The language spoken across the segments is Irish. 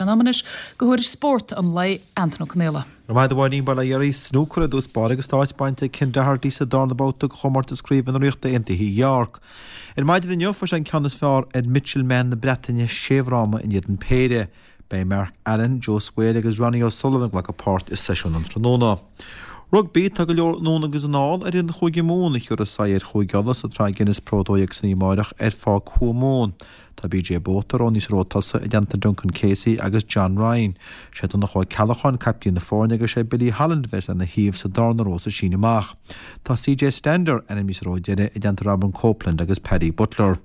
Sé an am anois do thuairisc spóirt an lae, Antain Ó Conaola. Go raibh maith agat a Mháirín, bail ó Dhia oraibh. Snúcar i dtús báire agus tá áit bainte ag Ken Doherty sa darna babhta de chomórtas Craoibhe na Ríochta Aontaithe i York. Ar maidin inniu fuair sé an ceann is fearr ar Mitchell Mann na Breataine sé fhráma in éadan péire. Beidh Mark Allen, Joe Swail agus Ronnie O'Sullivan ag glacadh páirt i seisiún an tráthnóna. Rugbaí, Tá go leor anonn agus anall ar fhoireann Chúige Mumhan a thiúrfas aghaidh ar Chúige Uladh sa tSraith Guinness Pro 12 san oíche amárach ar Pháirc Thuamumhan. Tá BJ Botha roghnaithe sa ró tosaigh i dteannta Duncan Casey agus John Ryan. Sé Donncha Ó Ceallacháin caiptín na foirne agus sé Billy Holland a bheas lena thaobh sa darna ró sa síneadh amach. Tá CJ Stander ainmnithe sa ró deiridh i dteannta Robin Copeland agus Paddy Butler.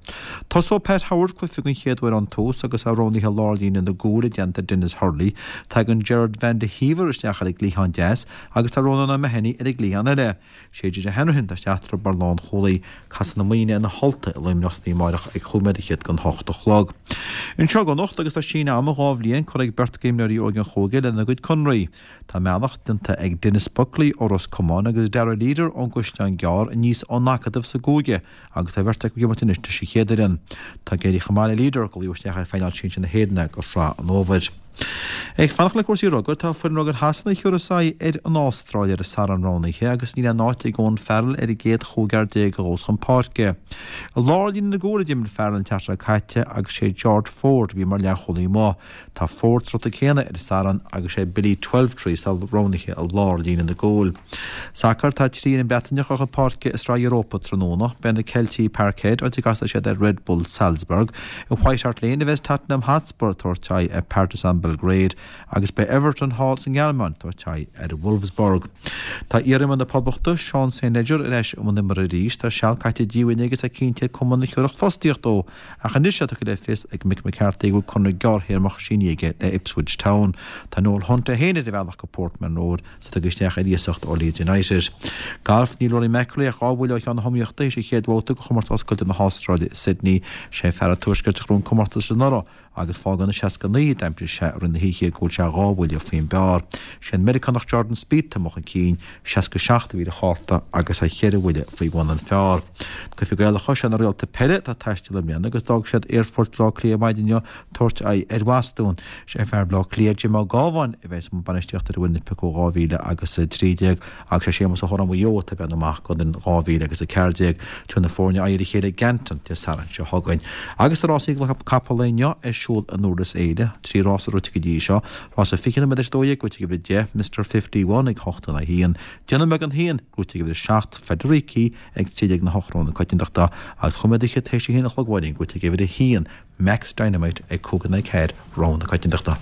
Tosóidh Pat Howard cluiche den chéad uair ón tús agus é roghnaithe i lár líne na gcúl i dteannta Denis Hurley. Tagann Gerard van de Heever isteach ar an gcliathán deas agus tá Ronan O'Mahony ar an gcliathán eile. Sé JJ Hanrahan atá isteach mar lánchúlaí. Casfaidh na Muimhnigh ar na hUltaigh i Luimneach san oíche amárach ag chúig nóiméad fhichead don hocht a chlog. Anseo i gConnacht agus tá síneadh ama 2 bhliain curtha ag beirt d'imreoirí óige an chúige lena gcuid conraí. Tá a mbealach déanta ag Denis Buckley ó Ros Comáin agus Darragh Leader ón gCaisleán Gearr aníos ón Acadamh sa gcúige agus tá an bheirt acu ag imirt anois leis an chéad fhoireann. Tá ag éirí chomh maith le Leader, glaodh isteach ar phainéal sinsir na hÉireann é do Shraith an Fhómhair. Ag fanacht le cúrsaí rugair, tá foireann rugair Shasana a thiúrfas aghaidh ar an Astráil ar an Satharn roghnaithe agus níl aon áit ag Owen Farrell ar an gcéad chúigear a ghabhfas chun páirce. I lár líne na gcúl a d'imir Farrell an tseachtain seo caite agus sé George Ford a bhí mar leathchúlaí amuigh. Tá Ford sa rota céanna ar an Satharn agus sé Billy Twelvetrees atá roghnaithe i lár líne na gcúl. Sacar, Tá 3 fhoireann Breataineach ag dul chun páirce i Sraith Europa tráthnóna. Beidh na Ceiltigh i Parkhead, áit a gcasfaidh siad ar Red Bull Salzburg. I White Hart Lane a bheas Tottenham Hotspur ag tabhairt aghaidh ar Partizan Belgrade agus beidh Everton thall sa nGearmáin ag tabhairt aghaidh ar Wolfsburg. Tá iar-iománaí na Poblachta, Seán St Leger ar ais i mbun imeartha arís. Tá seal caite díomhaoin aige agus é cinnte ag cumann a thiúrfadh fostaíocht dó. Ach anois tá tugtha le fios ag Mick McCarthy go bhfuil conradh gearrthéarmach sínithe aige le Ipswich Town. Tá Noel Hunt é féin ar a bhealach go Portman Road is é tagtha isteach ar iasacht ó Leeds United. Galf, Níl Rory McIlroy ach 2 bhuille ó cheann na hiomaíochta théis an chéad bhabhta de chomórtas oscailte na hAstráile i Sydney. Sé fear an Tuaiscirt a ghnóthaigh an comórtas anuraidh agus fágann an 69 a d'aimsigh sé i rith na hoíche go bhfuil sé 2 bhuille faoin bpar. Sé an Meiriceánach Jordan Spieth atá amuigh chun cinn, 67 a bhí ar a chárta agus é cheithre bhuille faoi bhun an phar. Cluichí Gaelacha, sé na Réalta Peile atá ag taisteal i mbliana agus d'fhág siad Aerfort Bhaile Átha Cliath maidin inniu tabhairt aghaidh ar Bhostún. Sé fear Bhaile Átha Cliath Jim Ó Gábháin a bheas i mbun bainistíochta ar an bhfoireann a piocadh 2013 agus sé Séamus Ó hOráin Mhaigh Eo atá ag breathnú amach don fhoireann 2014. Tabharfaidh na foirne aghaidh ar a chéile i gCanton Dé Sathairn seo chugainn. Agus tá rásaí capall inniu ar siúl in Iorras Fhéile. 3 rása rite go dtí seo. Rása 20 nóiméad tar éis 12 gnóite ag uimhir 10, Mister 51 ag 8 in aghaidh 1. Déanamh beag an 1, gnóite ag uimhir 7, Federici ag 13 na 8 rogha na coitiantachta agus chúig nóiméad fhichead tar éis a haon a chlog, gnóite ag uimhir 1, Max Dynamite ag 5 in aghaidh 4 rogha na coitiantachta.